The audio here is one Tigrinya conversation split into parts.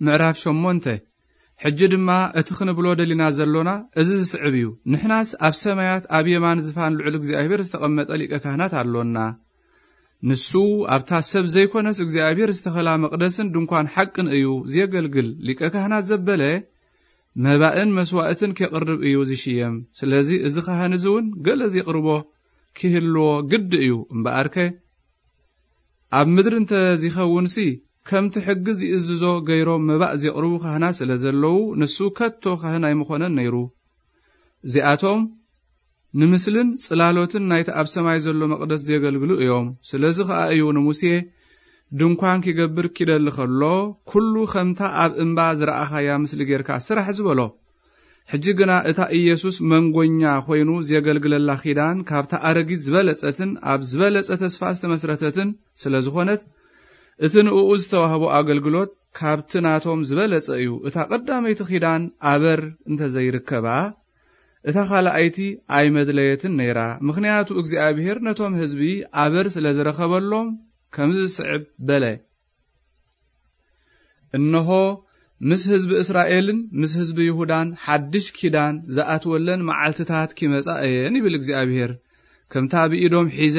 ምዕራፍ ሸሞንተ። ሕጂ ድማ እቲ ክንብሎ ደሊና ዘሎና እዚ ዝስዕብ እዩ። ንሕናስ ኣብ ሰማያት ኣብ የማን ዝፋን ልዑል እግዚኣብሔር ዝተቐመጠ ሊቀ ካህናት ኣሎና። ንሱ ኣብታ ሰብ ዘይኮነስ እግዚኣብሔር ዝተኸላ መቕደስን ድንኳን ሓቅን እዩ ዜገልግል። ሊቀ ካህናት ዘበለ መባእን መስዋእትን ኬቕርብ እዩ ዝሽየም። ስለዚ እዚ ካህን እዚ እውን ገለ ዜቕርቦ ኪህልዎ ግዲ እዩ። እምበኣርከ ኣብ ምድሪ እንተ ዚኸውንሲ፣ ከምቲ ሕጊ ዚእዝዞ ገይሮም መባእ ዜቕርቡ ካህናት ስለ ዘለዉ፣ ንሱ ከቶ ካህን ኣይምኾነን ነይሩ። እዚኣቶም ንምስልን ጽላሎትን ናይቲ ኣብ ሰማይ ዘሎ መቕደስ ዜገልግሉ እዮም። ስለዚ ኸኣ እዩ ንሙሴ ድንኳን ኪገብር ኪደሊ ኸሎ፣ "ኩሉ ኸምታ ኣብ እምባ ዝረኣኻያ ምስሊ ጌርካ ስራሕ" ዝበሎ። ሕጂ ግና እታ ኢየሱስ መንጎኛ ኮይኑ ዜገልግለላ ኪዳን ካብታ ኣረጊት ዝበለጸትን ኣብ ዝበለጸ ተስፋ ዝተመስረተትን ስለ ዝኾነት፣ እቲ ንእኡ ዝተዋህቦ ኣገልግሎት ካብቲ ናቶም ዝበለጸ እዩ። እታ ቀዳመይቲ ኪዳን ኣበር እንተ ዘይርከባ፣ እታ ካልኣይቲ ኣይመድለየትን ነይራ። ምኽንያቱ እግዚኣብሔር ነቶም ህዝቢ ኣበር ስለ ዝረኸበሎም ከምዚ ዝስዕብ በለ። እንሆ፣ ምስ ህዝቢ እስራኤልን ምስ ህዝቢ ይሁዳን ሓድሽ ኪዳን ዝኣትወለን መዓልትታት ኪመጻ እየን ይብል እግዚኣብሔር። ከምታ ብኢዶም ሒዘ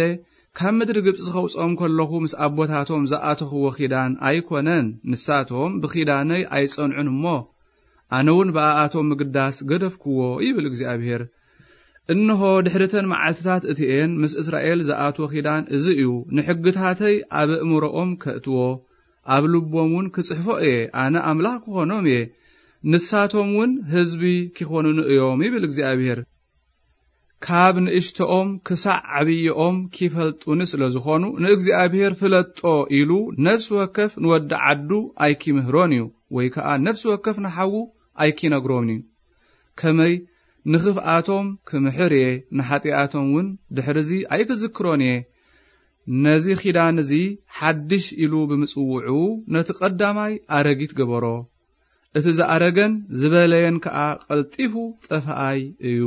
ካብ ምድሪ ግብጺ ኸውጾም ከለኹ ምስ ኣቦታቶም ዝኣተኽዎ ኪዳን ኣይኮነን። ንሳቶም ብኪዳነይ ኣይጸንዑን እሞ፣ ኣነ እውን ብኣኣቶም ምግዳስ ገደፍክዎ ይብል እግዚኣብሔር። እንሆ፣ ድሕሪተን መዓልትታት እቲኤን ምስ እስራኤል ዝኣትወ ኪዳን እዚ እዩ። ንሕግታተይ ኣብ ኣእምሮኦም ከእትዎ፣ ኣብ ልቦም እውን ክጽሕፎ እየ። ኣነ ኣምላኽ ክኾኖም እየ፣ ንሳቶም እውን ህዝቢ ኪኾኑኒ እዮም ይብል እግዚኣብሔር። ካብ ንእሽቶኦም ክሳዕ ዓብይኦም ኪፈልጡኒ ስለ ዝኾኑ፣ ንእግዚኣብሔር ፍለጦ ኢሉ ነፍሲ ወከፍ ንወዲ ዓዱ ኣይኪምህሮን እዩ፣ ወይ ከኣ ነፍሲ ወከፍ ንሓዉ ኣይኪነግሮን እዩ። ከመይ ንኽፍኣቶም ክምሕር እየ፣ ንሓጢኣቶም እውን ድሕርዚ ኣይክዝክሮን እየ። ነዚ ኪዳን እዚ ሓድሽ ኢሉ ብምጽውዑ፣ ነቲ ቀዳማይ ኣረጊት ገበሮ። እቲ ዝኣረገን ዝበለየን ከኣ ቀልጢፉ ጠፋኣይ እዩ።